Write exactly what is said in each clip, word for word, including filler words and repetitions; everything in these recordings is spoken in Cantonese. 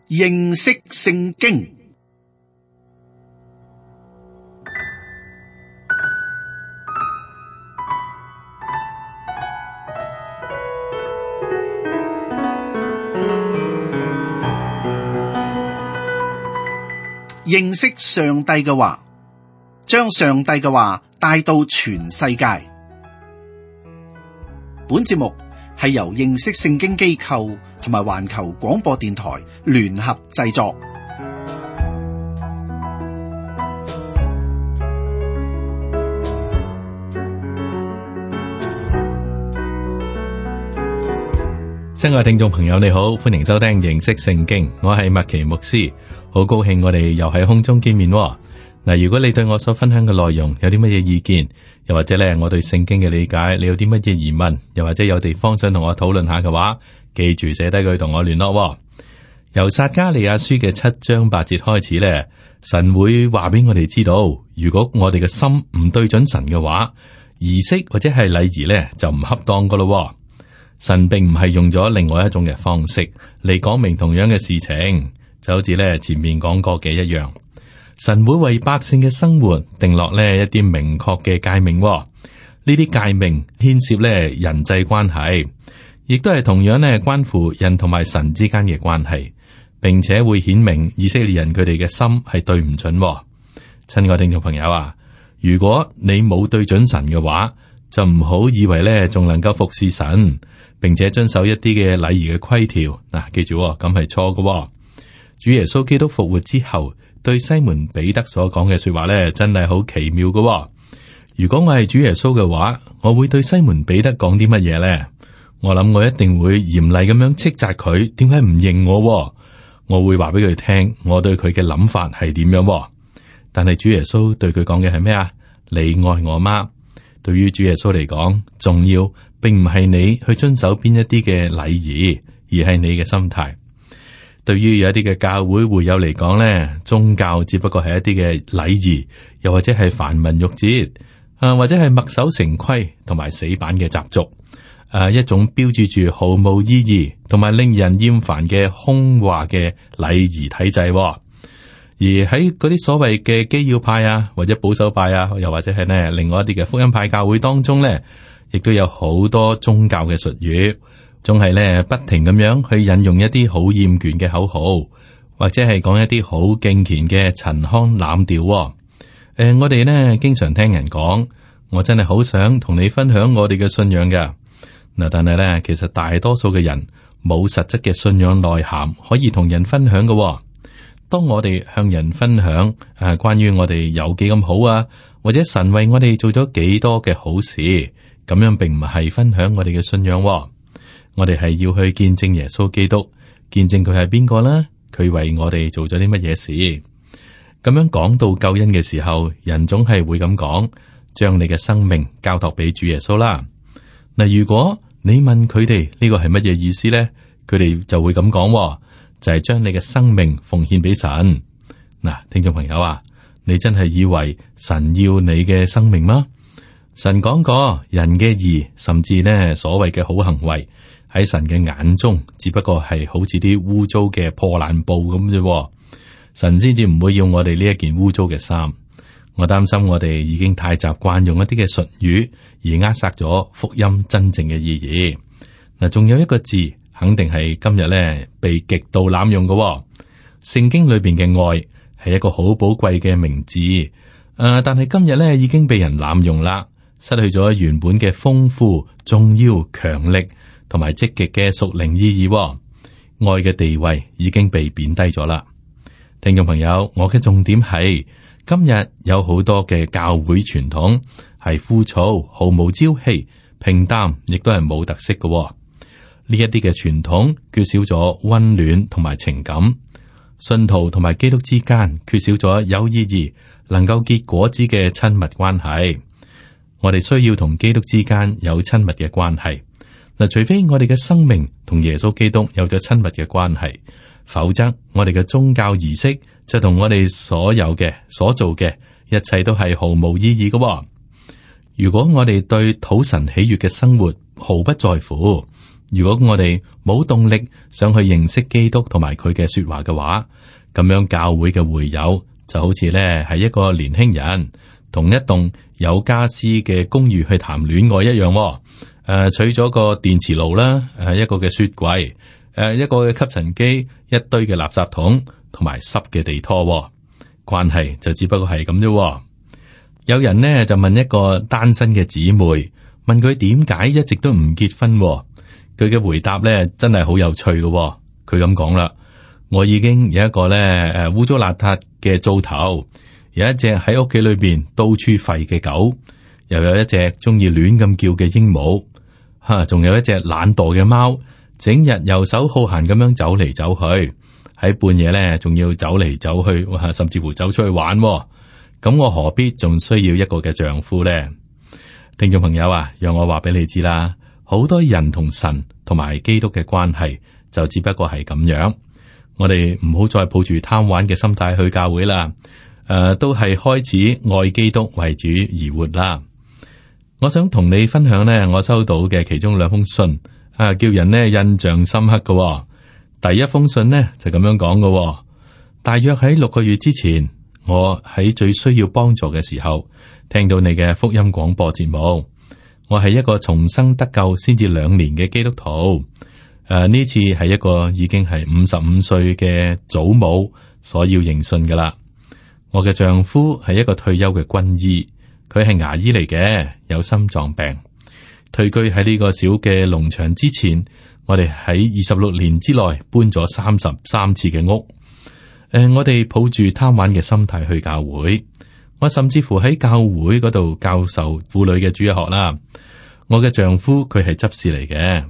認識聖經。認識上帝嘅話，將上帝嘅話帶到全世界。本節目係由認識聖經機構同埋環球廣播電台聯合製作。親愛嘅聽眾朋友，你好，歡迎收聽認識聖經，我係麥奇牧師，好高興我哋又喺空中見面。嗱，如果你對我所分享嘅內容有啲乜嘢意見，又或者咧我對聖經嘅理解，你有啲乜嘢疑問，又或者有地方想同我討論下嘅話，記住寫低佢同我聯絡。由撒迦利亞書嘅七章八節開始咧，神會話俾我哋知道，如果我哋嘅心唔對準神嘅話，儀式或者係禮儀咧就唔恰當噶咯。神並唔係用咗另外一種嘅方式嚟講明同樣嘅事情，就好似咧前面講過嘅一樣。神會為百姓嘅生活定落呢一啲明確嘅誡命，呢啲誡命牽涉咧人際關係，亦都係同樣咧關乎人同埋神之間嘅關係，並且會顯明以色列人佢哋嘅心係對唔準。親愛聽眾朋友啊，如果你冇對準神嘅話，就唔好以為咧仲能夠服侍神，並且遵守一啲嘅禮儀嘅規條。嗱、啊，記住咁係錯嘅。主耶穌基督復活之後，對西門彼得所講嘅說話咧，真係好奇妙嘅、哦。如果我係主耶穌嘅話，我會對西門彼得講啲乜嘢咧？我諗我一定會嚴厲咁樣斥責佢，點解唔認我、哦？我會話俾佢聽，我對佢嘅諗法係點樣、哦。但係主耶穌對佢講嘅係咩啊？你愛我嗎？對於主耶穌嚟講，重要並唔係你去遵守邊一啲嘅禮儀，而係你嘅心態。對於有一啲嘅教會會友嚟講咧，宗教只不過係一啲嘅禮儀，又或者係繁文縟節，啊或者係墨守成規同埋死板嘅習俗，誒一種標誌住毫無意義同埋令人厭煩嘅空話嘅禮儀體制。而喺嗰啲所謂嘅基要派啊，或者保守派啊，又或者係呢另外一啲嘅福音派教會當中咧，亦都有好多宗教嘅術語。總係咧不停咁樣去引用一啲好厭倦嘅口號，或者係講一啲好敬虔嘅陳腔濫調。誒、呃，我哋呢經常聽人講，我真係好想同你分享我哋嘅信仰㗎。嗱，但係咧，其實大多數嘅人冇實質嘅信仰內涵可以同人分享嘅。當我哋向人分享誒關於我哋有幾咁好啊，或者神為我哋做咗幾多嘅好事，咁樣並唔係分享我哋嘅信仰。我哋係要去見證耶穌基督，見證佢係邊個啦，佢為我哋做咗啲乜嘢事。咁樣講到救恩嘅時候，人總係會咁講，將你嘅生命交託俾主耶穌啦。嗱，如果你問佢哋呢個係乜嘢意思咧，佢哋就會咁講，就係將你嘅生命奉獻俾神。嗱，聽眾朋友啊，你真係以為神要你嘅生命嗎？神講過，人嘅義，甚至呢所謂嘅好行為，喺神嘅眼中，只不過係好似啲污糟嘅破爛布咁啫。神先至唔會要我哋呢一件污糟嘅衫。我擔心我哋已經太習慣用一啲嘅術語，而扼殺咗福音真正嘅意義。嗱，仲有一個字，肯定係今日咧被極度濫用嘅。聖經裏邊嘅愛係一個好寶貴嘅名字，誒、呃，但係今日咧已經被人濫用啦，失去咗原本嘅豐富、重要、強力同埋積極嘅屬靈意義。愛嘅地位已經被貶低咗啦。聽眾朋友，我嘅重點係今日有好多嘅教會傳統係枯燥、毫無朝氣、平淡，亦都係冇特色嘅。呢一啲嘅傳統缺少咗溫暖同埋情感，信徒同埋基督之間缺少咗有意義、能夠結果子嘅親密關係。我哋需要同基督之間有親密嘅關係。嗱，除非我哋嘅生命同耶穌基督有咗親密嘅關係，否則我哋嘅宗教儀式就同我哋所有嘅所做嘅一切都係毫無意義嘅。如果我哋對討神喜悅嘅生活毫不在乎，如果我哋冇動力想去認識基督同埋佢嘅說話嘅話，咁樣教會嘅會友就好似咧係一個年輕人同一棟有家私嘅公寓去談戀愛一樣。誒、呃，取咗個電磁爐啦，誒，一個嘅雪櫃，誒，一個嘅吸塵機，一堆嘅垃圾桶，同埋濕嘅地拖，關係就只不過係咁啫。有人呢就問一個單身嘅姊妹，問佢點解一直都唔結婚。佢嘅回答咧真係好有趣嘅。佢咁講啦：我已經有一個咧誒污糟邋遢嘅灶頭，有一隻喺屋企裏邊到處吠嘅狗，又有一隻中意亂咁叫嘅鸚鵡。吓，仲有一隻懶惰嘅貓，整日游手好閒咁樣走嚟走去，喺半夜咧仲要走嚟走去，甚至乎走出去玩。咁我何必仲需要一個嘅丈夫呢？聽眾朋友啊，讓我話俾你知啦，好多人同神同埋基督嘅關係就只不過係咁樣。我哋唔好再抱住貪玩嘅心態去教會啦。誒、呃，都係開始愛基督為主而活啦。我想同你分享呢，我收到嘅其中兩封信，啊，叫人呢印象深刻嘅、哦。第一封信呢就咁樣講嘅、哦，大約喺六個月之前，我喺最需要幫助嘅時候，聽到你嘅福音廣播節目。我係一個重生得救先至兩年嘅基督徒，誒、啊，呢次係一個已經係五十五歲嘅祖母所要認信噶啦。我嘅丈夫係一個退休嘅軍醫。佢係牙醫嚟嘅，有心臟病。退居喺呢個小嘅農場之前，我哋喺二十六年之內搬咗三十三次嘅屋。誒、呃，我哋抱住貪玩嘅心態去教會，我甚至乎喺教會嗰度教授婦女嘅主日學啦。我嘅丈夫佢係執事嚟嘅，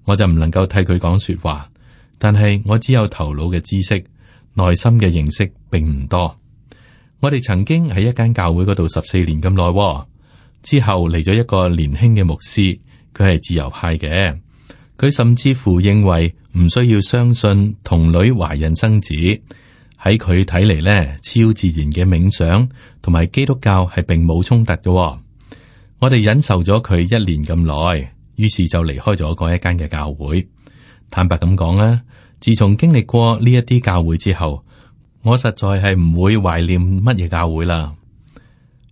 我就唔能夠替佢講說話，但係我只有頭腦嘅知識，內心嘅認識並唔多。我哋曾經喺一間教會嗰度十四年咁耐，之後嚟咗一個年輕嘅牧師，佢係自由派嘅，佢甚至乎認為唔需要相信童女懷孕生子，喺佢睇嚟咧，超自然嘅冥想同埋基督教係並冇衝突嘅。我哋忍受咗佢一年咁耐，於是就離開咗嗰一間嘅教會。坦白咁講啊，自從經歷過呢一啲教會之後，我實在係唔會懷念乜嘢教會啦。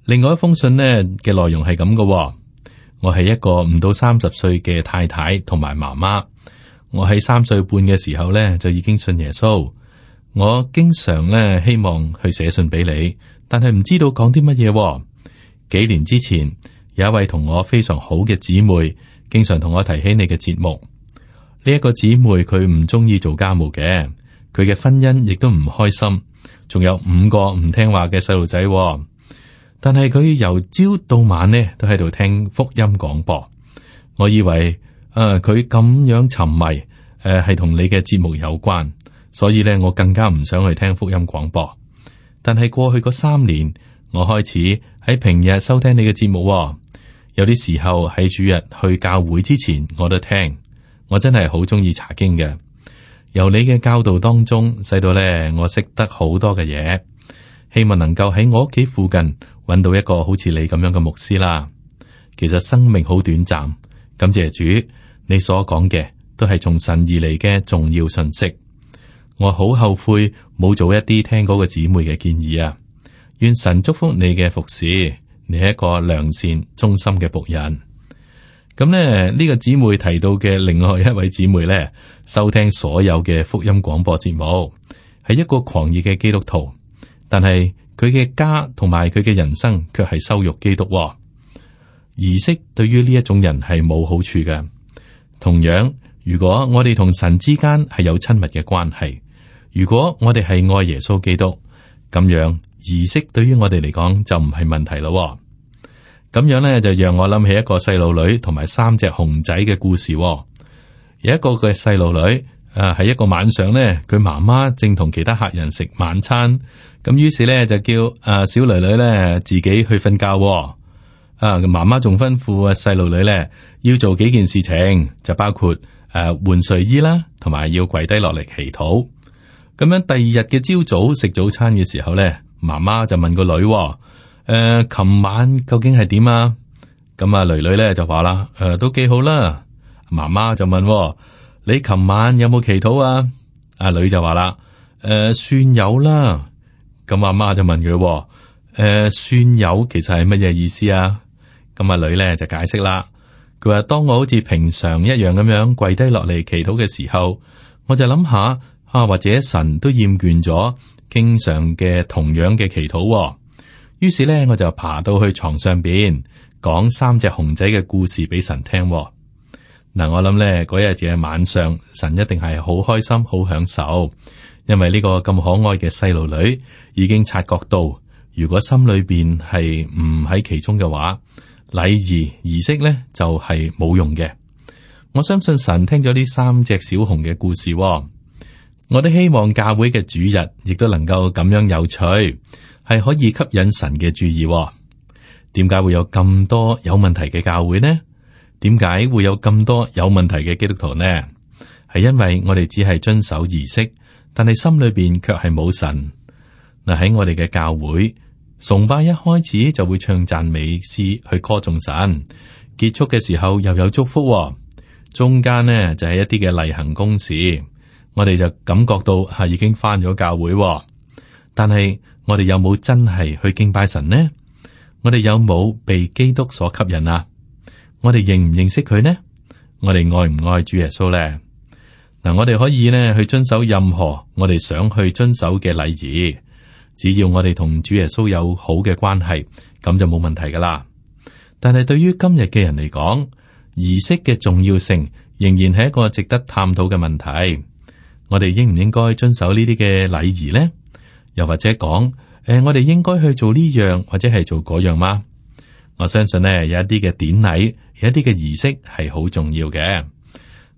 另外一封信呢嘅內容係咁嘅，我係一個唔到三十歲嘅太太同埋媽媽。我喺三歲半嘅時候呢就已經信耶穌。我經常呢希望去寫信俾你，但係唔知道講啲乜嘢。幾年之前有一位同我非常好嘅姊妹，經常同我提起你嘅節目。呢一個姊妹佢唔中意做家務嘅。佢嘅婚姻亦都唔開心，仲有五個唔聽話嘅細路仔。但係佢由朝到晚呢都喺度聽福音廣播。我以為誒佢咁樣沉迷誒係同你嘅節目有關，所以呢我更加唔想去聽福音廣播。但係過去嗰三年，我開始喺平日收聽你嘅節目。有啲時候喺主日去教會之前，我都聽。我真係好中意查經嘅。由你嘅教導當中，使到咧我識得好多嘅嘢，希望能夠喺我屋企附近揾到一個好似你咁樣嘅牧師啦。其實生命好短暫，感謝主，你所講嘅都係從神而嚟嘅重要信息。我好後悔冇做一啲聽嗰個姊妹嘅建議啊！願神祝福你嘅服侍，你係一個良善忠心嘅僕人。咁咧，呢個姊妹提到嘅另外一位姊妹咧，收聽所有嘅福音廣播節目，係一個狂熱嘅基督徒，但係佢嘅家同埋佢嘅人生卻係羞辱基督。儀式對於呢一種人係冇好處嘅。同樣，如果我哋同神之間係有親密嘅關係，如果我哋係愛耶穌基督，咁樣儀式對於我哋嚟講就唔係問題咯。咁樣咧，就讓我諗起一個細路女同埋三隻熊仔嘅故事。有一個嘅細路女，誒喺一個晚上咧，佢媽媽正同其他客人食晚餐，咁於是咧就叫誒小女女咧自己去瞓覺。啊，媽媽仲吩咐啊細路女咧要做幾件事情，就包括誒換睡衣啦，同埋要跪低落嚟祈禱。咁樣第二日嘅朝早食早餐嘅時候咧，媽媽就問個女。誒，琴、呃、晚究竟係點啊？咁啊，女女咧就話啦，誒、呃，都幾好啦。媽媽就問：你琴晚有冇祈禱啊？阿女就話啦：誒、呃，算有啦。咁阿媽就問佢：誒、呃，算有其實係乜嘢意思啊？咁阿女咧就解釋啦。佢話：當我好似平常一樣咁樣跪低落嚟祈禱嘅時候，我就諗下啊，或者神都厭倦咗經常嘅同樣嘅祈禱。於是咧，我就爬到去床上邊講三隻熊仔嘅故事俾神聽。嗱，我諗咧嗰日嘅晚上，神一定係好開心、好享受，因為呢個咁可愛嘅細路女已經察覺到，如果心裏邊係唔喺其中嘅話，禮儀儀式咧就係冇用嘅。我相信神聽咗呢三隻小熊嘅故事，我都希望教會嘅主日亦都能夠咁樣有趣，係可以吸引神嘅注意。點解會有咁多有問題嘅教會呢？點解會有咁多有問題嘅基督徒呢？係因為我哋只係遵守儀式，但係心裏邊卻係冇神。嗱，喺我哋嘅教會崇拜一開始就會唱讚美詩去歌頌神，結束嘅時候又有祝福，中間呢就係一啲嘅例行公事，我哋就感覺到係已經返咗教會。但係我哋有冇真係去敬拜神呢？我哋有冇被基督所吸引啊？我哋認唔認識佢呢？我哋愛唔愛主耶穌呢？嗱，我哋可以呢去遵守任何我哋想去遵守嘅禮儀，只要我哋同主耶穌有好嘅關係，咁就冇問題噶啦。但係對於今日嘅人嚟講，儀式嘅重要性仍然係一個值得探討嘅問題。我哋應唔應該遵守呢啲嘅禮儀呢？又或者講，誒、呃，我哋應該去做呢樣或者係做嗰樣嗎？我相信呢，有一啲嘅典禮，有一啲嘅儀式係好重要嘅。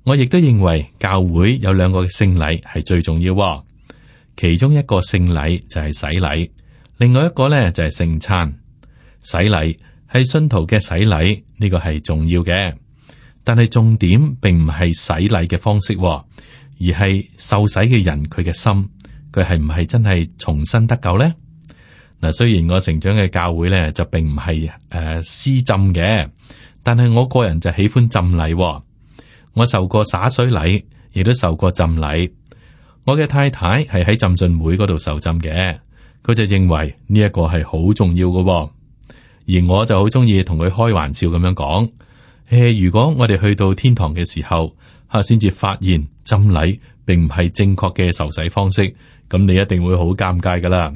我亦都認為教會有兩個嘅聖禮係最重要，其中一個聖禮就係洗禮，另外一個呢就係聖餐。洗禮係信徒嘅洗禮，呢個係重要嘅，但係重點並唔係洗禮嘅方式，而係受洗嘅人佢嘅心，佢係唔係真係重新得救呢？嗱，雖然我成長嘅教會咧就並唔係誒施浸嘅，但係我個人就喜歡浸禮。我受過灑水禮，亦都受過浸禮。我嘅太太係喺浸信會嗰度受浸嘅，佢就認為呢一個係好重要嘅，而我就好中意同佢開玩笑咁樣講：誒，如果我哋去到天堂嘅時候，吓先至發現浸禮並唔係正確嘅受洗方式，咁你一定會好尷尬噶啦。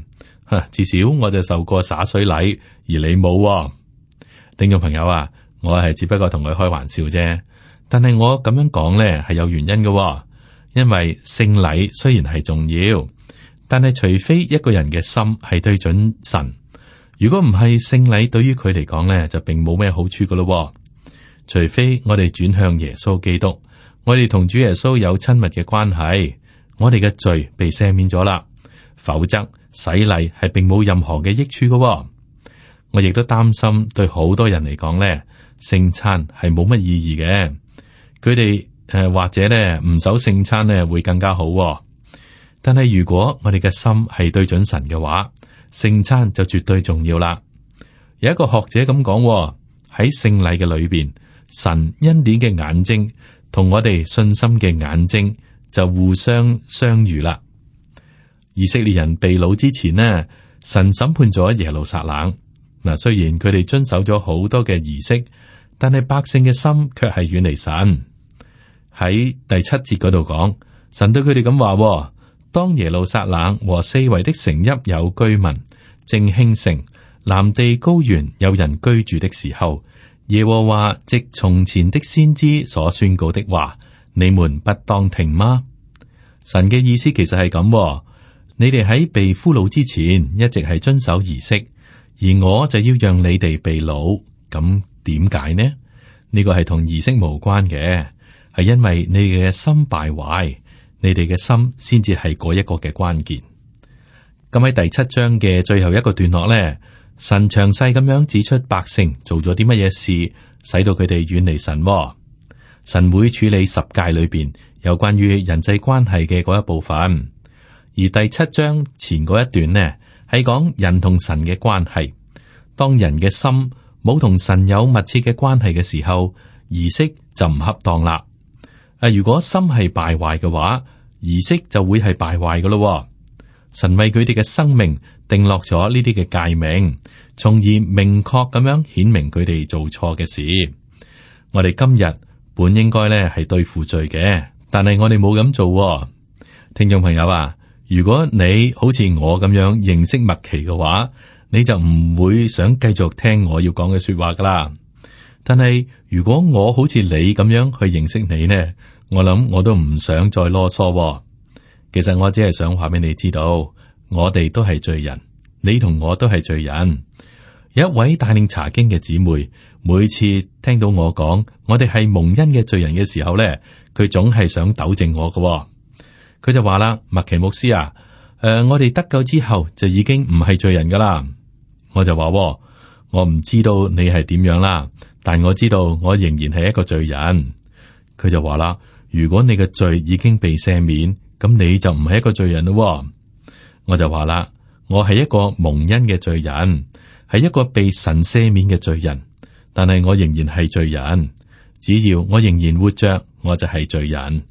至少我就受過灑水禮，而你冇、哦。聽眾朋友啊，我係只不過同佢開玩笑啫。但係我咁樣講呢係有原因嘅、哦，因為聖禮雖然係重要，但係除非一個人嘅心係對準神，如果唔係，聖禮對於佢嚟講呢就並冇咩好處噶咯。除非我哋轉向耶穌基督，我哋同主耶穌有親密嘅關係，我哋嘅罪被赦免咗啦，否則洗禮係並冇任何嘅益處嘅、哦。我亦都擔心對好多人嚟講咧，聖餐係冇乜意義嘅。佢哋誒或者咧唔守聖餐咧會更加好、哦。但係如果我哋嘅心係對準神嘅話，聖餐就絕對重要啦。有一個學者咁講、哦，喺聖禮嘅裏邊，神恩典嘅眼睛同我哋信心嘅眼睛就互相相遇啦。以色列人被擄之前呢，神審判咗耶路撒冷。嗱，雖然佢哋遵守咗好多嘅儀式，但係百姓嘅心卻係遠離神。喺第七節嗰度講，神對佢哋咁話：當耶路撒冷和四圍的城邑有居民，正興盛，南地高原有人居住的時候，耶和華藉從前的先知所宣告的話，你們不當聽嗎？神嘅意思其實係咁。你哋喺被俘虜之前，一直係遵守儀式，而我就要讓你哋被擄。咁點解呢？呢個係同儀式無關嘅，係因為你哋嘅心敗壞，你哋嘅心先至係嗰一個嘅關鍵。咁喺第七章嘅最後一個段落咧，神詳細咁樣指出百姓做咗啲乜嘢事，使到佢哋遠離神。神會處理十誡裏邊有關於人際關係嘅嗰一部分。而第七章前嗰一段呢，係講人同神嘅關係。當人嘅心冇同神有密切嘅關係嘅時候，儀式就唔恰當啦。啊，如果心係敗壞嘅話，儀式就會係敗壞嘅咯。神為佢哋嘅生命定落咗呢啲嘅誡命，從而明確咁樣顯明佢哋做錯嘅事。我哋今日本應該咧係對付罪嘅，但係我哋冇咁做。聽眾朋友啊，如果你好似我咁樣認識麥奇嘅話，你就唔會想繼續聽我要講嘅說話噶啦。但係如果我好似你咁樣去認識你呢，我諗我都唔想再囉嗦。其實我只係想話俾你知道，我哋都係罪人，你同我都係罪人。有一位帶領查經嘅姊妹，每次聽到我講我哋係蒙恩嘅罪人嘅時候咧，佢總係想糾正我嘅。佢就話啦，麥奇牧師啊，誒、呃，我哋得救之後就已經唔係罪人噶啦。我就話，我唔知道你係點樣啦，但我知道我仍然係一個罪人。佢就話啦，如果你嘅罪已經被赦免，咁你就唔係一個罪人咯。我就話啦，我係一個蒙恩嘅罪人，係一個被神赦免嘅罪人，但係我仍然係罪人。只要我仍然活着，我就係罪人。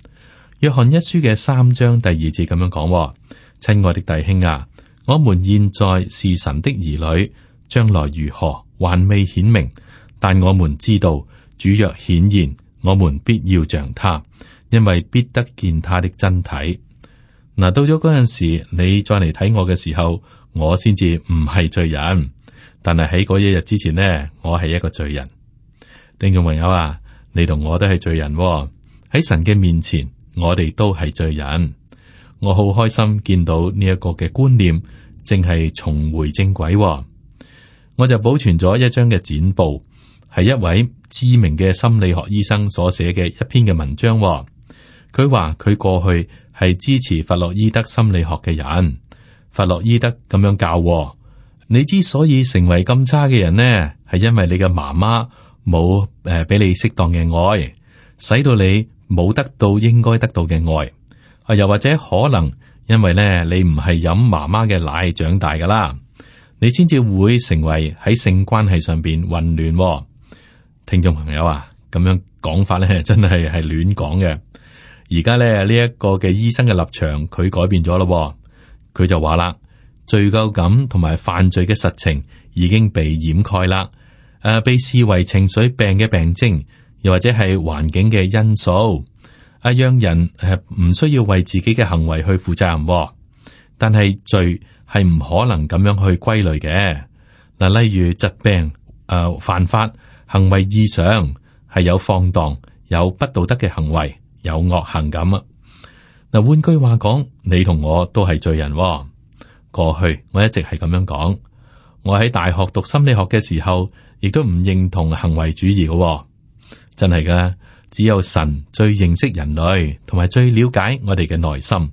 約翰一書嘅三章第二節咁樣講：親愛的弟兄啊，我們現在是神的兒女，將來如何還未顯明，但我們知道主若顯現，我們必要像他，因為必得見他的真體。嗱，到咗嗰陣時，你再嚟睇我嘅時候，我先至唔係罪人。但係喺嗰一日之前呢，我係一個罪人。聽眾朋友啊，你同我都係罪人喎，喺神嘅面前，我哋都係罪人。我好開心見到呢一個嘅觀念正係重回正軌喎。我就保存咗一張嘅剪報，係一位知名嘅心理學醫生所寫嘅一篇嘅文章喎。佢話佢過去係支持弗洛伊德心理學嘅人。弗洛伊德咁樣教喎，你之所以成為咁差嘅人呢，係因為你嘅媽媽冇誒俾你適當嘅愛，使到你冇得到應該得到嘅愛。啊，又或者可能因為咧你唔係飲媽媽嘅奶長大噶啦，你先至會成為喺性關係上邊混亂喎。聽眾朋友啊，咁樣講法咧真係係亂講嘅。而家咧呢一個嘅醫生嘅立場，佢改變咗咯。佢就話啦，罪疚感同埋犯罪嘅實情已經被掩蓋啦，誒、呃，被視為情緒病嘅病徵，又或者係環境嘅因素，啊，讓人誒唔需要為自己嘅行為去負責任。但係罪係唔可能咁樣去歸類嘅。嗱，例如疾病、誒、呃、犯法、行為異常，係有放蕩、有不道德嘅行為、有惡行咁啊。嗱，換句話講，你同我都係罪人。過去我一直係咁樣講。我喺大學讀心理學嘅時候，亦都唔認同行為主義嘅。真係噶，只有神最認識人類，同埋最了解我哋嘅內心。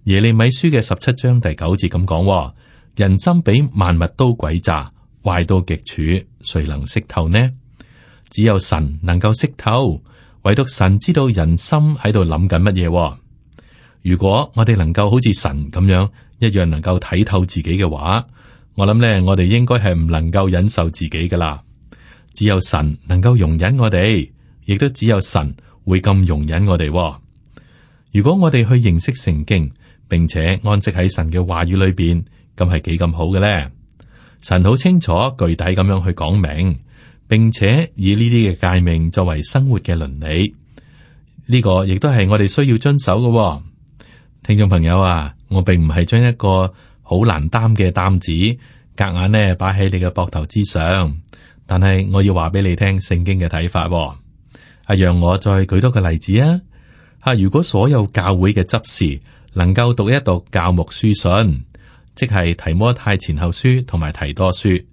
耶利米書嘅十七章第九節咁講：人心比萬物都詭詐，壞到極處，誰能識透呢？只有神能夠識透，唯獨神知道人心喺度諗緊乜嘢。如果我哋能夠好似神咁樣一樣能夠睇透自己嘅話，我諗咧，我哋應該係唔能夠忍受自己噶啦。只有神能夠容忍我哋，亦都只有神會咁容忍我哋。如果我哋去認識聖經，並且安息喺神嘅話語裏邊，咁係幾咁好嘅咧？神好清楚、具體咁樣去講明，並且以呢啲嘅誡命作為生活嘅倫理，呢個亦都係我哋需要遵守嘅。聽眾朋友啊，我並唔係將一個好難擔嘅擔子夾硬呢擺喺你嘅膊頭之上，但係我要話俾你聽聖經嘅睇法。啊，讓我再舉多個例子啊！吓，如果所有教會嘅執事能夠讀一讀教牧書信，即係提摩太前後書同埋提多書，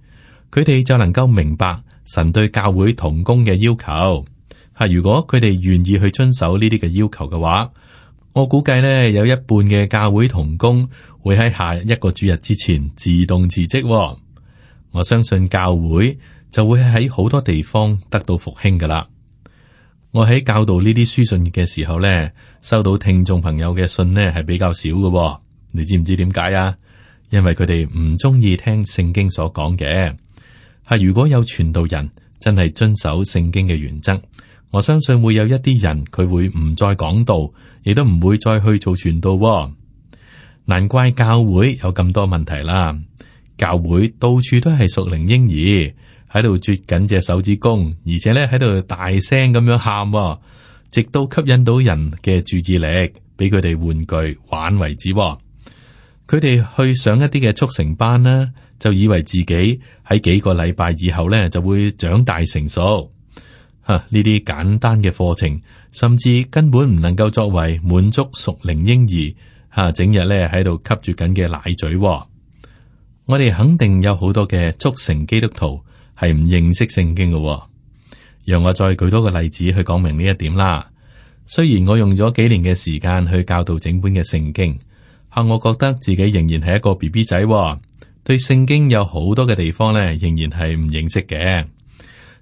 佢哋就能夠明白神對教會同工嘅要求。吓，如果佢哋願意去遵守呢啲嘅要求嘅話，我估計呢，有一半嘅教會同工會喺下一個主日之前自動辭職。我相信教會就會喺好多地方得到復興噶啦。我喺教導呢啲書信嘅時候呢，收到聽眾朋友嘅信呢係比較少嘅。你知唔知點解啊？因為佢哋唔中意聽聖經所講嘅。係如果有傳道人真係遵守聖經嘅原則，我相信會有一啲人佢會唔再講道，亦都唔會再去做傳道喎。難怪教會有咁多問題啦。教會到處都係屬靈嬰兒喺度啜緊隻手指公，而且咧喺度大聲咁樣喊喎，直到吸引到人嘅注意力，俾佢哋玩具玩為止喎。佢哋去上一啲嘅速成班啦，就以為自己喺幾個禮拜以後咧就會長大成熟。吓，呢啲簡單嘅課程，甚至根本唔能夠作為滿足屬靈嬰兒吓整日咧喺度吸住緊嘅奶嘴喎。我哋肯定有好多嘅速成基督徒係唔認識聖經嘅喎。讓我再舉多個例子去講明呢一點啦。雖然我用咗幾年嘅時間去教導整本嘅聖經，吓我覺得自己仍然係一個 B B 仔喎，對聖經有好多嘅地方咧，仍然係唔認識嘅。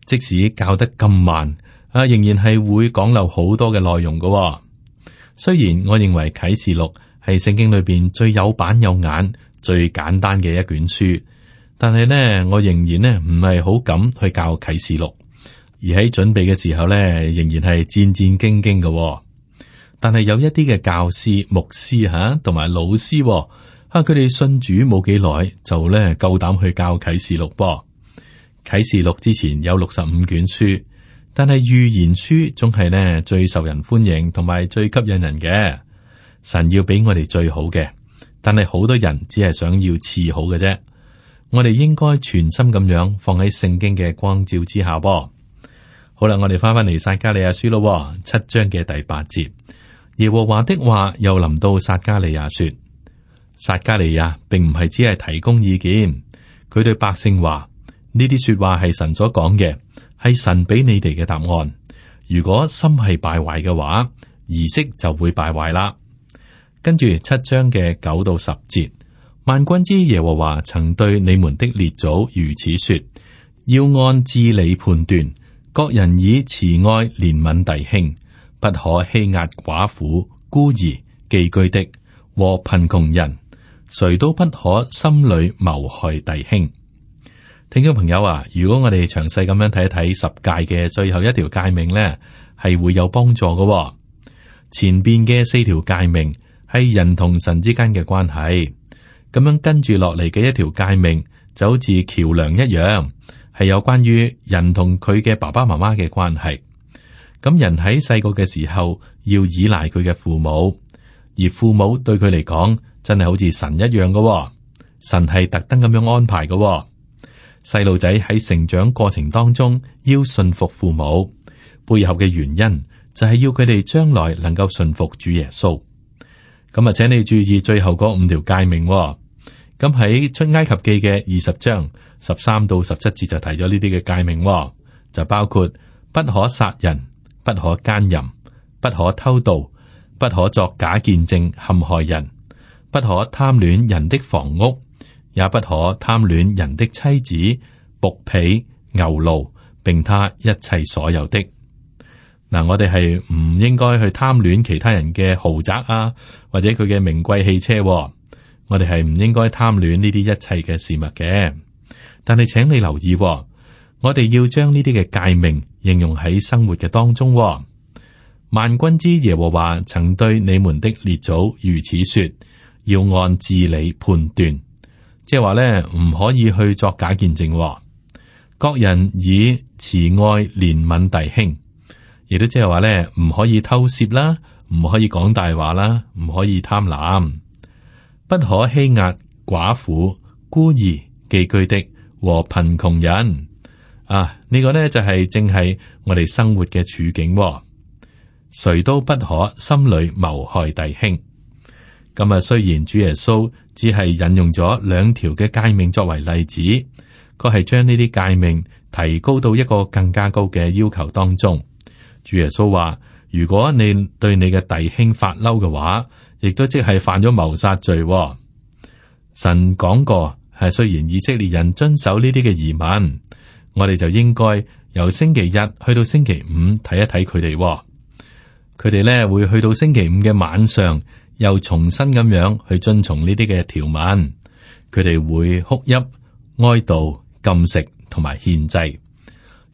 即使教得咁慢，啊，仍然係會講漏好多嘅內容㗎喎。雖然我認為啟示錄係聖經裏邊最有板有眼、最簡單嘅一卷書，但係呢，我仍然呢唔係好敢去教啟示錄，而喺準備嘅時候呢，仍然係戰戰兢兢嘅喎。但係有一啲嘅教師、牧師吓同埋老師喎，啊，佢哋信主冇幾耐就呢夠膽去教啟示錄噃。啟示錄之前有六十五卷書，但係預言書總係呢最受人歡迎同埋最吸引人嘅。神要俾我哋最好嘅，但係好多人只係想要次好嘅啫。我哋應該全心咁樣放喺聖經嘅光照之下噃。好啦，我哋翻返嚟撒迦利亞書咯，七章嘅第八節，耶和華的話又臨到撒迦利亞說：撒迦利亞並唔係只係提供意見，佢對百姓話。呢啲說話係神所講嘅，係神俾你哋嘅答案。如果心係敗壞嘅話，儀式就會敗壞啦。跟住七章嘅九到十節，萬軍之耶和華曾對你們的列祖如此說：要按治理判斷，各人以慈愛憐憫弟兄，不可欺壓寡婦、孤兒、寄居的和貧窮人，誰都不可心裏謀害弟兄。聽眾朋友啊，如果我哋詳細咁樣睇一睇十誡嘅最後一條誡命呢，係會有幫助嘅喎。前邊嘅四條誡命係人同神之間嘅關係，咁樣跟住落嚟嘅一條誡命就好似橋梁一樣，係有關於人同佢嘅爸爸媽媽嘅關係。咁人喺細個嘅時候要依賴佢嘅父母，而父母對佢嚟講真係好似神一樣嘅喎。神係特登咁樣安排嘅喎。細路仔喺成長過程當中要順服父母，背後嘅原因就係要佢哋將來能夠順服主耶穌。咁啊，請你注意最後嗰五條誡命。咁喺出埃及記嘅二十章十三到十七節就提咗呢啲嘅誡命，就包括不可殺人、不可奸淫、不可偷盜、不可作假見證陷害人、不可貪戀人的房屋，也不可貪戀人的妻子、僕婢、牛驢，並他一切所有的。嗱，我哋係唔應該去貪戀其他人嘅豪宅啊，或者佢嘅名貴汽車。我哋係唔應該貪戀呢啲一切嘅事物嘅。但係請你留意，我哋要將呢啲嘅誡命應用喺生活嘅當中。萬軍之耶和華曾對你們的列祖如此說：要按治理判斷。即係話咧，唔可以去作假見證。各人以慈愛憐憫弟兄，亦都即係話咧，唔可以偷竊啦，唔可以講大話啦，唔可以貪婪，不可欺壓寡婦、孤兒、寄居的和貧窮人。啊，呢個呢，就係正係我哋生活嘅處境。誰都不可心裏謀害弟兄。咁啊，雖然主耶穌只係引用咗兩條嘅誡命作為例子，佢係將呢啲誡命提高到一個更加高嘅要求當中。主耶穌話：如果你對你嘅弟兄發嬲嘅話，亦都即係犯咗謀殺罪。神講過，係雖然以色列人遵守呢啲嘅儀文，我哋就應該由星期日去到星期五睇一睇佢哋。佢哋咧會去到星期五嘅晚上，又重新咁樣去遵從呢啲嘅條文。佢哋會哭泣、哀悼、禁食同埋獻祭。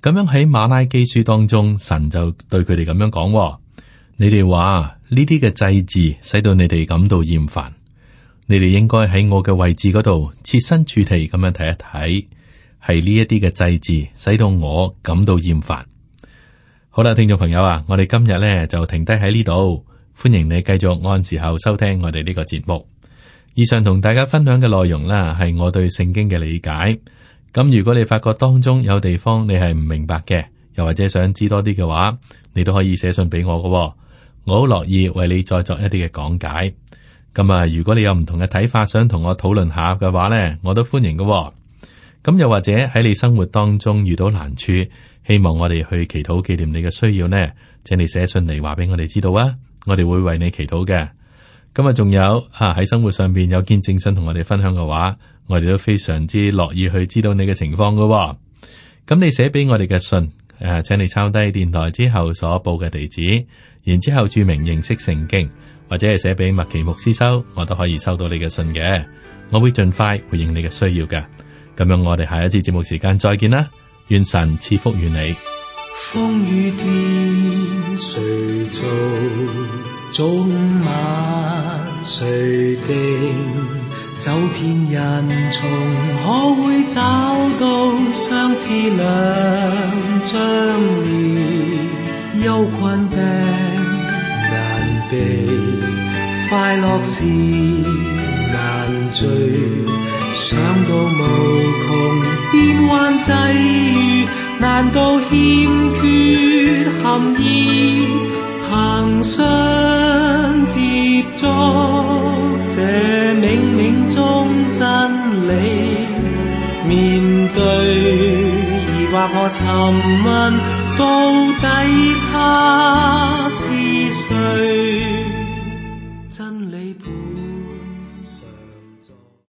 咁樣喺馬拉基書當中，神就對佢哋咁樣講：你哋話呢啲嘅祭祀使到你哋感到厭煩，你哋應該喺我嘅位置嗰度設身處地咁樣睇一睇，係呢一啲嘅祭祀使到我感到厭煩。好啦，聽眾朋友啊，我哋今日咧就停低喺呢度，歡迎你繼續按時候收聽我哋呢個節目。以上同大家分享嘅內容啦，係我對聖經嘅理解。咁如果你發覺當中有地方你係唔明白嘅，又或者想知多啲嘅話，你都可以寫信俾我㗎喎，我好樂意為你再作一啲嘅講解。咁啊，如果你有唔同嘅睇法，想同我討論下嘅話呢，我都歡迎㗎喎。咁又或者喺你生活當中遇到難處，希望我哋去祈禱紀念你嘅需要呢，請你寫信嚟話俾我哋知道啊，我哋會為你祈禱嘅。咁啊，仲有啊喺生活上邊有見證信同我哋分享嘅話，我哋都非常之樂意去知道你嘅情況㗎喎。咁你寫俾我哋嘅信，誒、啊，請你抄低電台之後所報嘅地址，然之後注明認識聖經，或者係寫俾麥奇牧師收，我都可以收到你嘅信嘅。我會盡快回應你嘅需要嘅。咁樣我哋下一次節目時間再見啦，願神賜福於你。風雨天誰做？早晚誰定？走遍人叢，可會找到相似兩張臉？憂困病難避，快樂時難聚。想到無窮變幻際遇，難道欠缺含義？憑信接觸這冥冥中真理，面對疑惑我尋問到